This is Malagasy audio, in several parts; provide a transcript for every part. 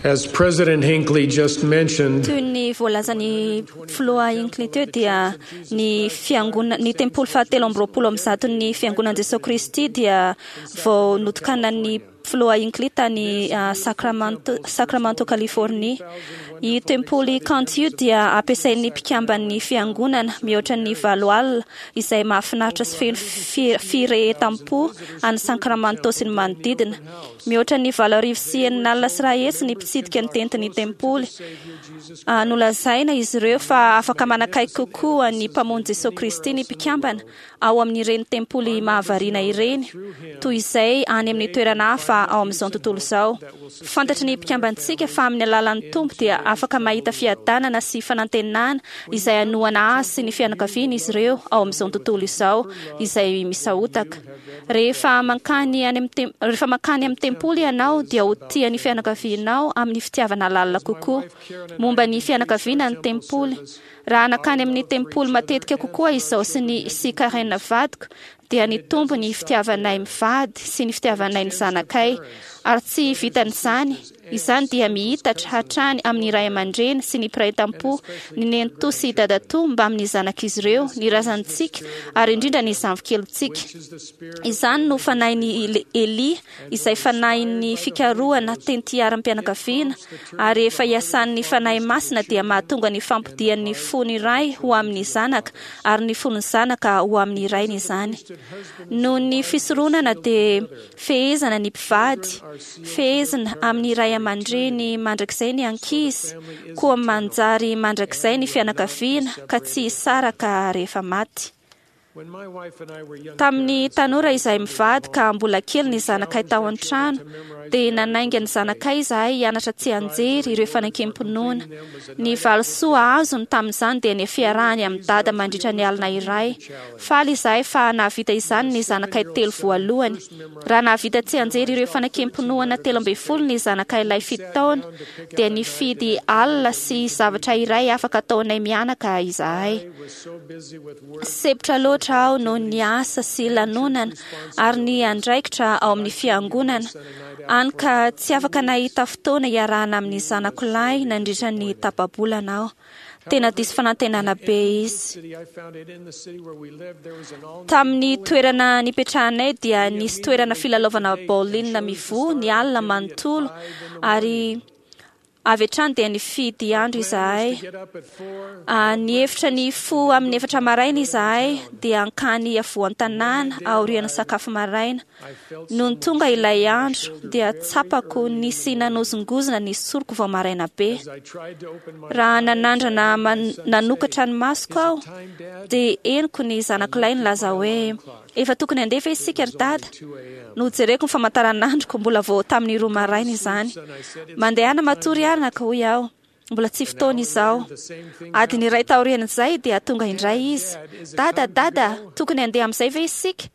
As President Hinckley just mentioned, Toy ny voalazan'ny filoha Hinckley teo dia ny fiangona ny tempoly fahatelo amby roapolo amby zaton'ny fiangonan'i Jesoa Kristy dia vao notokanan'ny filoha Hinckley tany ah, Sacramento, Sacramento, Californie. Io tempoly kanto io dia ampiasain'ny mpikamban'ny fiangonana mihoatra ny 8000 izay mahafinaritra sy feno fi- firehetam-po any Sacramento sy ny manodidina. Mihoatra ny 180 100 ny mpitsidika ny tentin'ny tempoly. Ah, Nolazaina izy ireo fa afaka manakaiky kokoa ny Mpamonjy Jesoa Kristy ny mpikambana ao amin'ireny tempoly mahavariana ireny, toy izay any amin'ny toerana hafa ao amin'izao tontolo izao. Fantatry ny mpikambantsika fa amin'ny alalan'ny Tompo dia afaka mahita fiadanana sy fanantenana izay hanohana azy sy ny fianakaviany izy ireo ao amin'izao tontolo izao izay misahotaka. Rehefa mankany any amin'ny tem- rehefa mankany amin'ny tempoly ianao dia ho tia ny fianakavianao amin'ny fitiavana lalina kokoa. Momba ny fianakaviana ny tempoly. Raha nankany amin'ny tempoly matetika kokoa izaho sy ny sy Karen vadiko dia nitombo ny fitiavanay mivady sy ny fitiavanay ny zanakay. Ary tsy vitan'izany, izany dia mihitatra hatrany amin'ny ray aman-dreny sy ny mpiray tampo, ny nenitoa sy dadatoa mbamin'ny zanak'izy ireo, ny razantsika ary indrindra ny zandrikelintsika. Izany no fanahin'i Elia, izay fanahin'ny fikarohana tentiaram-pianakaviana, ary rehefa iasan'ny Fanahy Masina dia mahatonga ny fampodian'ny fon'ny ray ho amin'ny zanaka ary ny fon'ny zanaka ho amin'ny rainy izany. Noho ny fisoronana dia fehezana ny mpivady, fehezina amin'ny ray aman-dreny mandrakizay ny ankizy, koa manjary mandrakizay ny fianakaviana ka tsy hisaraka rehefa maty. Tamin'ny tanora izahay mivady ka mbola kely ny zanakay tao an-trano, dia nanainga ny zanakay izahay hianatra tsianjery ireo fanekem-pinoana. Ny valisoa azony tamin'izany dia ny fiarahany amin'i Dada mandritra ny alina iray. Faly izahay fa nahavita izany ny zanakay telo voalohany. Raha nahavita tsianjery ireo fanekem-pinoana 13 ny zanakay lahy 7 taona, dia nifidy alina sy zavatra iray afaka ataonay mianaka izahay. Sempotra loatra aho noho ny asa sy lanonana ary ny andraikitra ao amin'ny fiangonana, hany ka tsy afaka nahita fotoana hiarahana amin'ny zanako lahy nandritra ny tapa-bolana aho. Tena diso fanantenana be izy. Tamin'ny toerana nipetrahanay dia nisy toerana filalaovana bowling mivoha ny alina manontolo ary avy hatrany dia nifidy andro izahay. Ah, nihevitra ny hifoha amin'ny 4 maraina izahay dia hankany afovoan-tanàna aorian'ny sakafo maraina. Nony tonga ilay andro dia tsapako nisy nanozongozona ny soroko vao maraina be. Raha nanandrana nanokatra ny masoko aho dia henoko ny zanako lahy nilaza hoe efa tokony handeha ve isika ry dada? Nojereko ny famantaranandroko, mbola vao tamin'ny 2 maraina izany. Mandehana matory anaka, hoy aho. Mbola tsy fotoana izao. Adiny iray taorian'izay dia tonga indray izy. Dada, dada, tokony handeha amin'izay ve isika?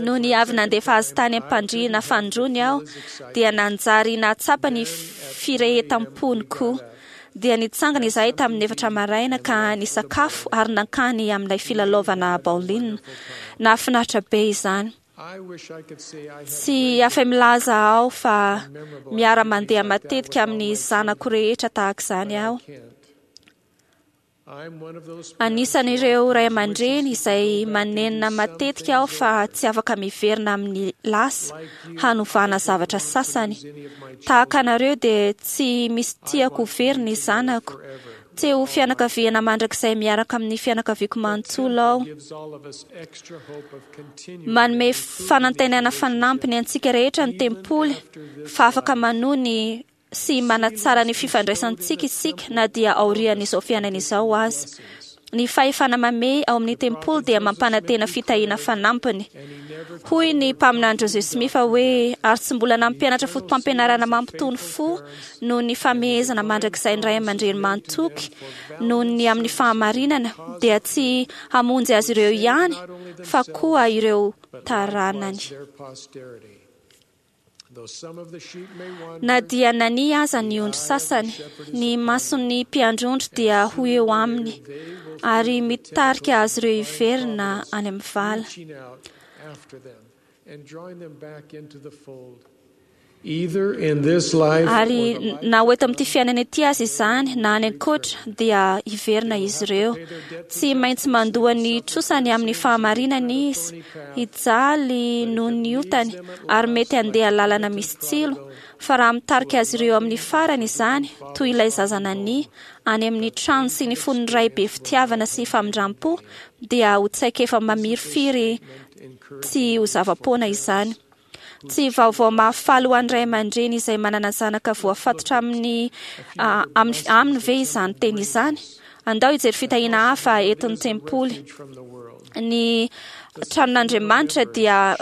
Nony avy nandefa azy tany am-pandriana fanindroany aho dia nanjary nahatsapa ny firehetam-pony koa. Dia nitsangana izahay tamin'ny 4 maraina ka nisakafo ary nankany amin'ilay filalaovana bowling. Nahafinaritra be izany. Tsy afa-milaza aho fa miara-mandeha matetika amin'ny zanako rehetra tahaka izany aho. Anisan'ireo ray aman-dreny izay manenina matetika aho fa tsy afaka miverina amin'ny lasa hanovana zavatra sasany. Tahaka anareo dia tsy misy tiako ho very ny zanako. Te ho fianakaviana mandrakizay miaraka amin'ny fianakaviako manontolo aho. Manome fanantenana fanampiny antsika rehetra ny tempoly fa afaka manohy ny sy manatsara ny fifandraisantsika isika na dia aorian'izao fiainana izao aza. Ny fahefana mamehy ao amin'ny tempoly dia mampanantena fitahiana fanampiny. Hoy ny mpaminany Joseph Smith hoe ary tsy mbola nampianatra fotopampianarana mampitony fo noho ny famehezana mandrakizay ny ray aman-dreny mahatoky noho ny amin'ny fahamarinana dia tsy hamonjy azy ireo ihany fa koa ireo taranany. Na dia nania aza ny ondry sasany, ny mason'ny mpiandry ondry dia ho eo aminy ary mitarika azy ireo hiverina any amin'ny vala. Ary na ho eto amin'ity fiainana ity aza izany na any ankoatra dia hiverina izy ireo. Tsy maintsy mandoa ny trosany amin'ny fahamarinana izy, hijaly noho ny otany ary mety handeha lalana misy tsilo. Fa raha mitarika azy ireo amin'ny farany izany, toy ilay zaza nania, any amin'ny trano sy ny fon'ny Ray be fitiavana sy famindram-po, dia ho tsaikefa mamirifiry tsy ho zava-poana izany. Tsy vaovao mahafaly ho an'ny ray aman-dreny izay manana zanaka voafatotra amin'ny aminy ve izany teny izany? Andao hijery fitahiana hafa entin'ny tempoly. Ny tranon'Andriamanitra dia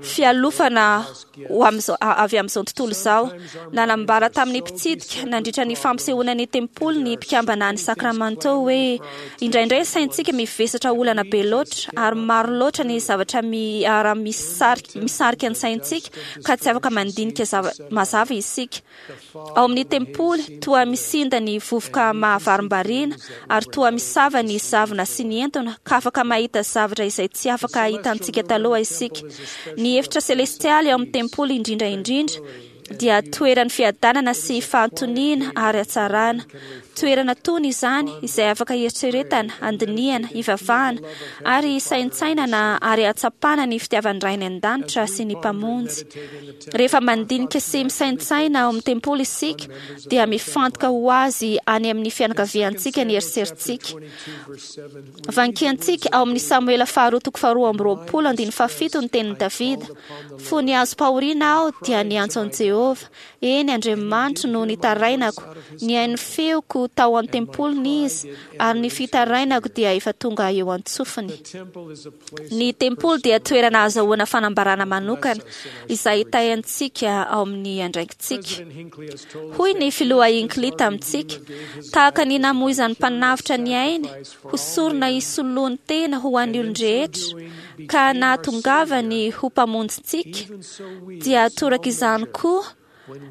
fialofana ho amin'izao avy amin'izao tontolo izao. Nanambara tamin'ny mpitsidika nandritra ny fampisehoana ny tempoly ny mpikambana any Sacramento hoe, Indraindray ny saintsika mivesatra olana be loatra ary maro loatra ny zavatra miara-misarika ny saintsika ka tsy afaka mandinika mazava isika. Ao amin'ny tempoly, toa misinda ny vovoka mahavarimbariana ary toa misava ny zavona sy ny entona ka afaka mahita zavatra izay tsy afaka hitantsika taloha isika. Ny efitra selestialy ao amin'ny tempoly indrindra indrindra dia toeran'ny fiadanana sy fahatoniana ary hatsarana. Toerana tony izany izay afaka hieritreretana, handinihana, hivavahana ary hisaintsainana ary hahatsapana ny fitiavan'ny Ray any An-danitra sy ny Mpamonjy. Rehefa mandinika sy misaintsaina ao amin'ny tempoly isika dia mifantoka ho azy any amin'ny fianakaviantsika ny eritseritsika. Vankiantsika ao amin'ny Samoela faharoa toko faharoa amby roapolo andininy fahafito ny tenin'i Davida, Fony azom-pahoriana aho dia niantso an'i Jehovah, eny, Andriamanitro no nitarainako, nihaino ny feoko tao an-tempoliny Izy, ary ny fitarainako dia efa tonga eo an-tsofiny. Ny tempoly dia toerana ahazahoana fanambarana manokana izay hitahy antsika ao amin'ny andraikitsika. Hoy ny Filoha Hinckley tamintsika, Tahaka ny namoizan'ny Mpanavotra ny ainy ho sorona hisoloany tena ho an'ny olon-drehetra ka nahatongavany ho Mpamonjintsika, dia toraka izany koa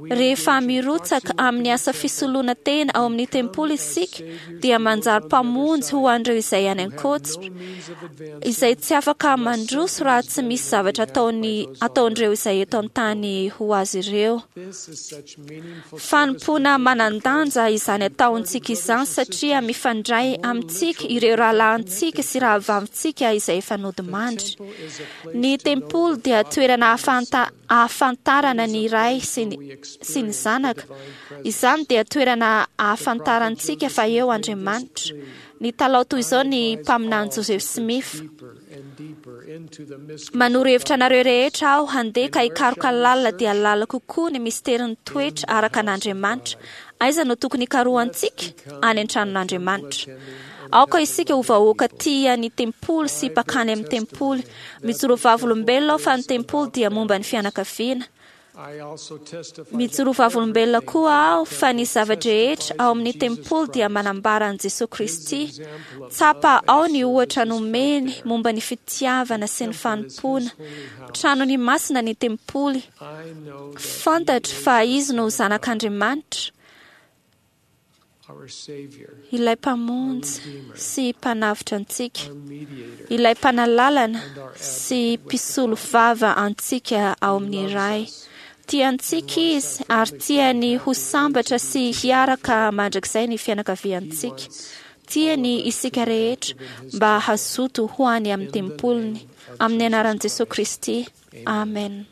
Rehefa mirotsaka amin'ny asa fisoloana tena ao amin'ny tempoly isika, dia manjary mpamonjy ho an'ireo izay any ankoatra, izay tsy afaka mandroso raha tsy misy zavatra ataony ataon'ireo izay eto an-tany ho azy ireo. Fanompoana manan-danja izany ataontsika izany satria mifandray amintsika ireo rahalahintsika sy rahavavintsika izay efa nodimandry. Ny tempoly dia toerana ahafantarana ny Ray sy ny, sy ny Zanaka. Izany dia toerana ahafantarantsika fa eo Andriamanitra. Nitalaho toy izao ny mpaminany Joseph Smith, Manoro hevitra anareo rehetra aho handeha ka hikaroka lalina dia lalina kokoa ny misterin'ny toetra araka an'Andriamanitra. Aiza no tokony hikarohantsika? Any an-tranon'Andriamanitra. Aoka isika ho vahoaka tia ny tempoly sy mpakany amin'ny tempoly. Mijoro vavolombelona aho fa ny tempoly dia momba ny fianakaviana. Mijoro vavolombelona koa aho fa ny zava-drehetra ao amin'ny tempoly dia manambara an'i Jesoa Kristy. Tsapa ao ny ohatra nomeny momba ny fitiavana sy ny fanompoana. Tranony masina ny tempoly. Fantatro fa Izy no Zanak'Andriamanitra. Ilay Mpamonjy sy Mpanavotra antsika, Ilay Mpanalalana sy Mpisolo vava antsika ao amin'ny Ray. Tia antsika Izy ary tiany ho sambatra sy hiaraka mandrakizay ny fianakaviantsika. Tiany isika rehetra mba hazoto ho any amin'ny tempoliny. Amin'ny anaran'i Jesoa Kristy, amen.